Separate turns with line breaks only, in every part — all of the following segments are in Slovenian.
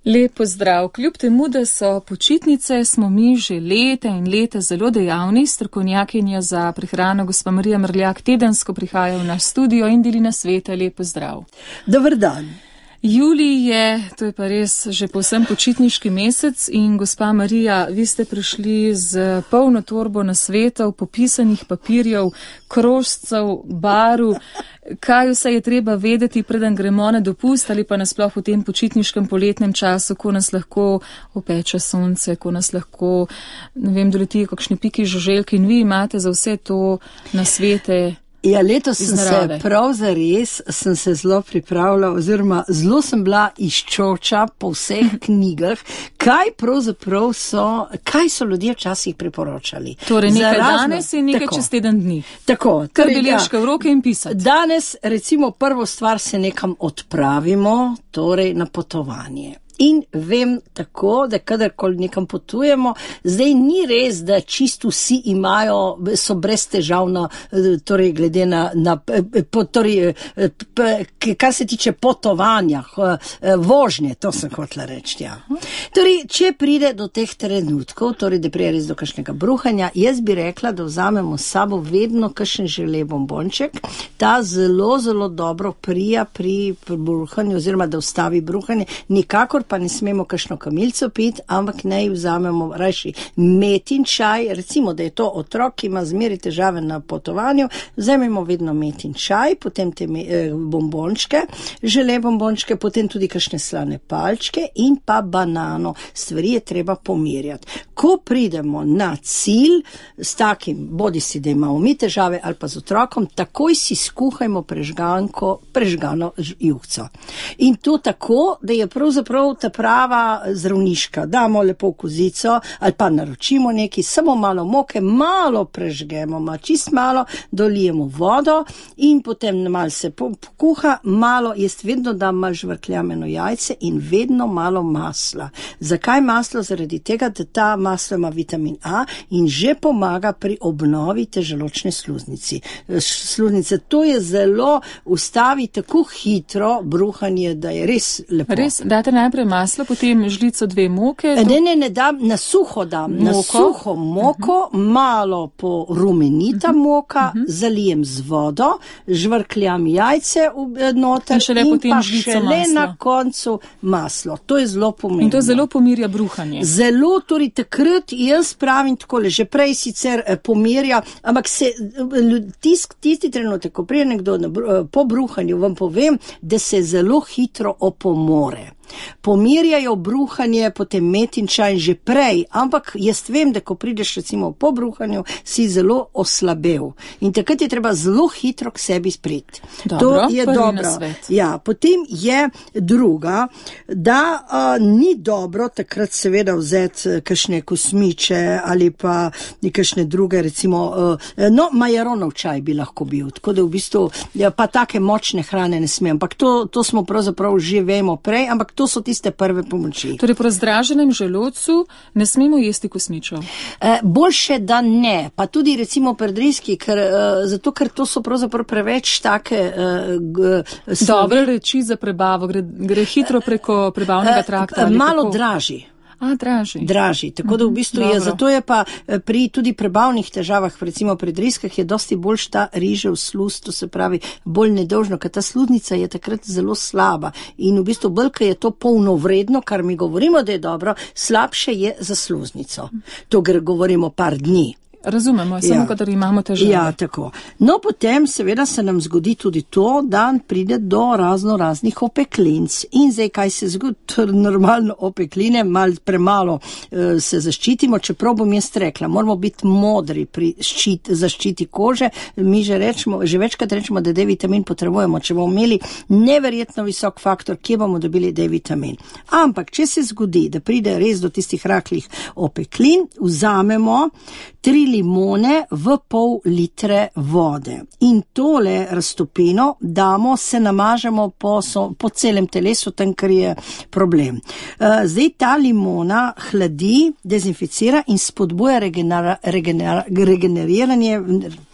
Lep pozdrav. Kljub temu, da so počitnice, smo mi že leta in leta zelo dejavni. Strokovnjakinja za prehrano gospa Marija Mrljak tedensko prihaja v naš studio in deli nasvete. Lep pozdrav.
Dober dan.
Julij je, to je pa res že povsem počitniški mesec in gospa Marija, vi ste prišli z polno torbo nasvetov, popisanih papirjev, krožcev, baru. Kaj vse je treba vedeti, preden gremo na dopust ali pa nasploh v tem počitniškem poletnem času, ko nas lahko opeče sonce, ko nas lahko, ne vem, doletijo kakšni piki žuželke in vi imate za vse to nasvete.
Ja, letos sem se zelo pripravila oziroma zelo sem bila izčoča po vseh knjigah, kaj so ljudje včasih priporočali.
Torej nekaj danes in nekaj čez teden dni.
Tako.
Kar beležke v roke in pisati.
Danes recimo prvo stvar se nekam odpravimo, torej na potovanje. In vem tako, da kadarkoli nekam potujemo, zdaj ni res, da čisto vsi so brez težav torej glede kar se tiče potovanja, vožnje, to sem hotela reči, ja. Torej, če pride do teh trenutkov, torej, da pride res do kakšnega bruhanja, jaz bi rekla, da vzamemo s sabo vedno kakšen žele bombonček, ta zelo, zelo dobro prija pri bruhanju, oziroma da ustavi bruhanje, nikakor pa ne smemo kakšno kamilico piti, ampak naj vzamemo rajši metin čaj, recimo, da je to otrok, ki ima zmeraj težave na potovanju, vzamemo vedno metin čaj, potem te bombončke, žele bombončke, potem tudi kakšne slane palčke in pa banano. Stvari je treba pomirjati. Ko pridemo na cilj s takim, bodi si, da imamo mi težave ali pa z otrokom, takoj si skuhajmo prežgano juhco. In to tako, da je pravzaprav ta prava zdravniška. Damo lepo v kozico ali pa naročimo nekaj, samo malo moke, malo prežgemo, čist malo, dolijemo vodo in potem malo se pokuha, malo, jaz vedno dam malo žvrkljameno jajce in vedno malo masla. Zakaj maslo? Zaradi tega, da ta maslo ima vitamin A in že pomaga pri obnovi te želodčne sluznice. To je zelo ustavi tako hitro bruhanje, da je res lepo.
Res, date najprej maslo, potem žlico 2 moke.
Ne dam, na suho dam, na suho moko, malo porumenita moka, zalijem z vodo, žvrkljam jajce noter in pa šele na koncu maslo. To je zelo pomembno.
In to zelo pomirja bruhanje.
Zelo, torej takrat jaz pravim takole, že prej sicer pomirja, ampak tisti trenutek, ko prije nekdo po bruhanju, vam povem, da se zelo hitro opomore. Pomirjajo bruhanje, potem metin čaj že prej, ampak jaz vem, da ko prideš recimo po bruhanju, si zelo oslabel in takrat je treba zelo hitro k sebi spriti. To je dobro. Ja, potem je druga, da ni dobro takrat seveda vzeti kakšne kosmiče ali pa kakšne druge recimo, majaronov čaj bi lahko bil, tako da v bistvu pa take močne hrane ne smem, ampak to smo pravzaprav že vemo prej, ampak to so tiste prve pomoči.
Torej, po razdraženem želodcu ne smemo jesti kosmičev?
Boljše, da ne. Pa tudi recimo predriski, zato ker to so pravzaprav preveč take...
Dobre reči za prebavo, gre hitro preko prebavnega trakta.
Malo dražji. Dražji, tako da v bistvu je, zato je pa pri tudi prebavnih težavah, recimo pri driskah, je dosti boljš ta rižev sluz, to se pravi bolj nedolžno, ker ta sluznica je takrat zelo slaba in v bistvu bolj, ker je to polnovredno, kar mi govorimo, da je dobro, slabše je za sluznico. To govorimo par dni.
Razumemo, samo kadar imamo težave.
Ja, tako. No, potem seveda se nam zgodi tudi to, da pride do raznih opeklinc. In zdaj, kaj se zgodi? Normalno opekline, malo premalo se zaščitimo, čeprav bom jaz rekla, moramo biti modri pri zaščiti kože. Mi že večkrat rečemo, da D-vitamin potrebujemo, če bomo imeli neverjetno visok faktor, kje bomo dobili D-vitamin. Ampak, če se zgodi, da pride res do tistih rahlih opeklin, vzamemo 3 limone v pol litre vode. In tole raztopino damo, se namažemo po celem telesu, tam, kar je problem. Zdaj ta limona hladi, dezinficira in spodbuja regeneriranje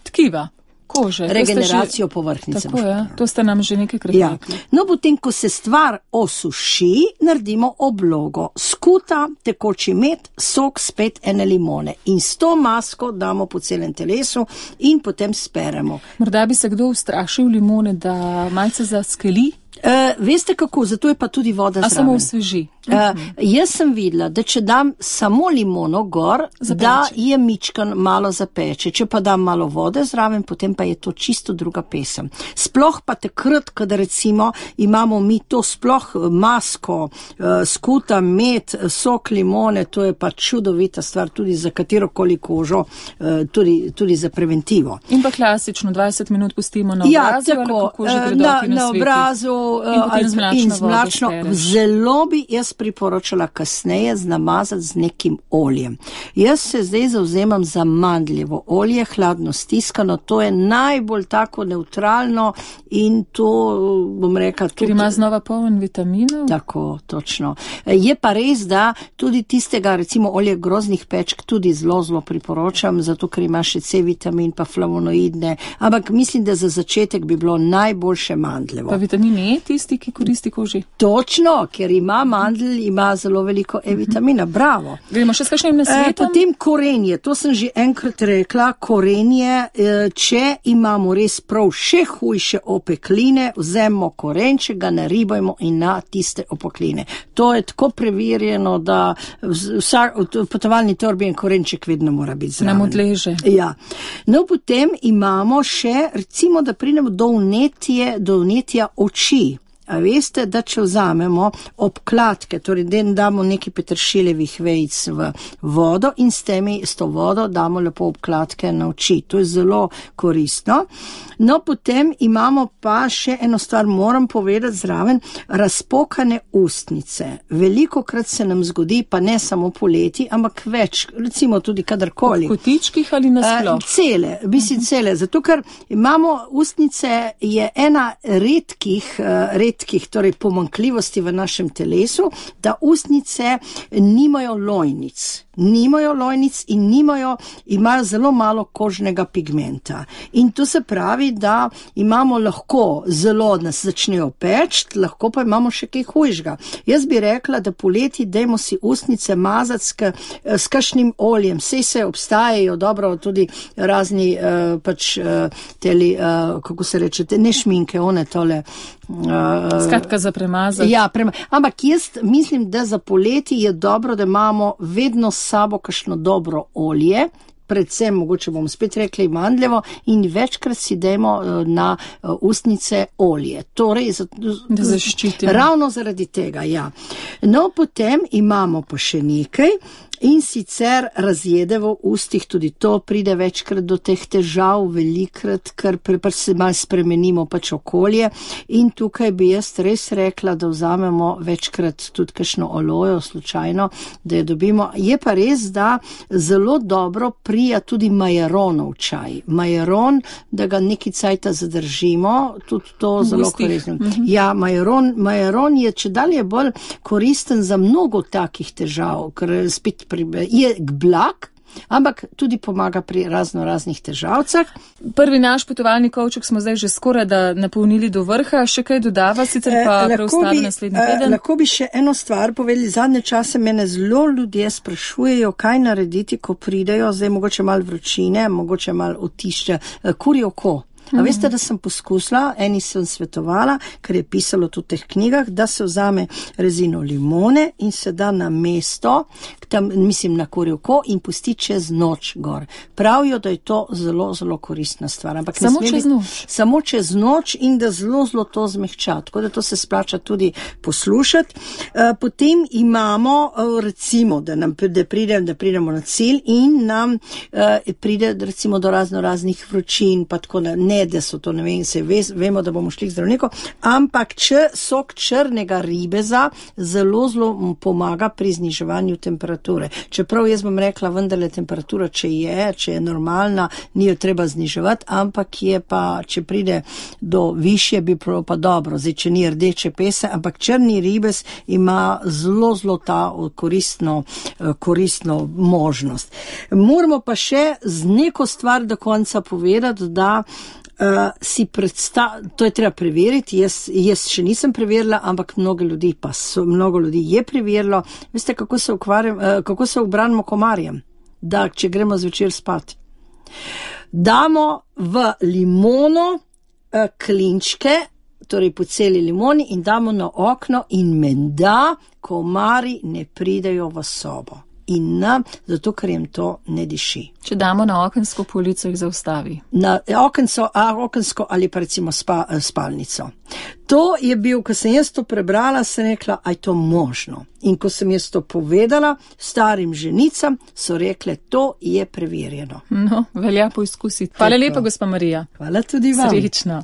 tkiva. kože.
Regeneracijo povrhnjice.
Tako je, to ste nam že nekajkrat rekli.
No, potem, ko se stvar osuši, naredimo oblogo. Skuta, tekoči med, sok, spet ene limone. In s to masko damo po celem telesu in potem speremo.
Morda bi se kdo ustrašil limone, da malce zaskeli?
Veste kako, zato je pa tudi voda zraven.
A samo osveži?
Jaz sem videla, da če dam samo limono gor, da je mičkan malo zapeče. Če pa dam malo vode zraven, potem pa je to čisto druga pesem. Sploh pa takrat, kada recimo imamo mi to sploh masko, skuta, med, sok limone, to je pa čudovita stvar tudi za katerokoli kožo, tudi za preventivo.
In pa klasično 20 minut pustimo na obrazu,
tako,
ali kako že gredo
na obrazu in z mlačno. Zelo bi jaz priporočala kasneje namazati z nekim oljem. Jaz se zdaj zavzemam za mandljevo olje, hladno stiskano, to je najbolj tako neutralno in to, bom rekla, tudi...
Ker ima znova poln vitaminov?
Tako, točno. Je pa res, da tudi tistega, recimo olje groznih pečk, tudi zelo priporočam, zato ker ima še C vitamin, pa flavonoidne, ampak mislim, da za začetek bi bilo najboljše mandljevo.
Pa vitamin E, tisti, ki koristi koži?
Točno, ker ima mandl, ima zelo veliko E-vitamina, bravo.
Gremo še s kakšnim nasvetom?
Potem korenje, to sem že enkrat rekla, korenje, če imamo res prav še hujše opekline, vzemimo korenče, ga naribajmo in na tiste opekline. To je tako preverjeno, da v potovalni torbi en korenček vedno mora biti zraven.
Nam odleže.
Ja. No, potem imamo še, recimo, da pridemo do vnetja oči. A veste, da če vzamemo obkladke, torej damo nekaj peteršiljevih vejic v vodo in s to vodo damo lepo obkladke na oči. To je zelo koristno. No, potem imamo pa še eno stvar, moram povedati zraven, razpokane ustnice. Velikokrat se nam zgodi, pa ne samo poleti, ampak več, recimo tudi kadarkoli.
V kotičkih ali nasploh?
Cele, zato ker imamo ustnice, je ena redkih, torej pomanjkljivosti v našem telesu, da ustnice nimajo lojnic in imajo zelo malo kožnega pigmenta. In to se pravi, da imamo lahko zelo nas začnejo peči, lahko pa imamo še kaj hujšega. Jaz bi rekla, da poleti dajmo si ustnice mazati s kakšnim oljem. Sej se obstajajo dobro tudi razni kako se reče, ne šminke, one tole.
Skratka za premazati.
Ja, ampak jaz mislim, da za poleti je dobro, da imamo vedno s sabo kakšno dobro olje, predvsem, mogoče bomo spet rekli, mandljevo, in večkrat si dajmo na ustnice olje. Torej,
da zaščitimo.
Ravno zaradi tega, ja. No, potem imamo pa še nekaj. In sicer razjede v ustih, tudi to pride večkrat do teh težav, velikrat, ker se malo spremenimo pač okolje. In tukaj bi jaz res rekla, da vzamemo večkrat tudi kakšno olojo slučajno, da jo dobimo. Je pa res, da zelo dobro prija tudi majaronov čaj. Majaron, da ga neki cajta zadržimo, tudi to zelo koristno. Ja, majaron je čedalje bolj koristen za mnogo takih težav, ker spet je blag, ampak tudi pomaga pri raznih težavcah.
Prvi naš potovalni kovček smo zdaj že skoraj da napolnili do vrha, še kaj dodava, sicer pa preostane naslednji teden.
Lahko bi še eno stvar povedali, zadnje čase mene zelo ljudje sprašujejo, kaj narediti, ko pridejo, zdaj mogoče malo vročine, mogoče malo otišče, kurje oko. A veste, da sem poskusila, eni sem svetovala, ker je pisalo v teh knjigah, da se vzame rezino limone in se da na mesto, tam, mislim na kurje oko, in pusti čez noč gor. Pravijo, da je to zelo koristna stvar. Ampak samo čez noč in da zelo to zmehča. Tako da to se splača tudi poslušati. Potem imamo, recimo, da pridemo na cilj in nam pride recimo do raznih vročin, pa tako ne ne, da so to, ne vem, vemo, da bomo šli k zdravniku, ampak sok črnega ribeza zelo pomaga pri zniževanju temperature. Čeprav jaz bom rekla, vendarle temperatura, če je normalna, ni jo treba zniževati, ampak je pa, če pride do višje, bi bilo pa dobro. Zdaj, če ni rdeče pese, ampak črni ribez ima zelo ta koristno možnost. Moramo pa še z neko stvar do konca povedati, da to je treba preveriti, jaz še nisem preverila, ampak mnogo ljudi je preverilo. Veste, kako se obranimo komarjem? Da, če gremo zvečer spat. Damo v limono klinčke, torej po celi limoni in damo na okno in menda komari ne pridejo v sobo. In zato, ker jim to ne diši.
Če damo na okensko polico, jih zaustavi.
Na okensko ali pa recimo spalnico. To je bil, ko sem jaz to prebrala, sem rekla, aj to možno. In ko sem jaz to povedala starim ženicam, so rekle, to je preverjeno.
No, velja poizkusiti. Hvala lepa, gospa Marija.
Hvala tudi vam.
Srečno.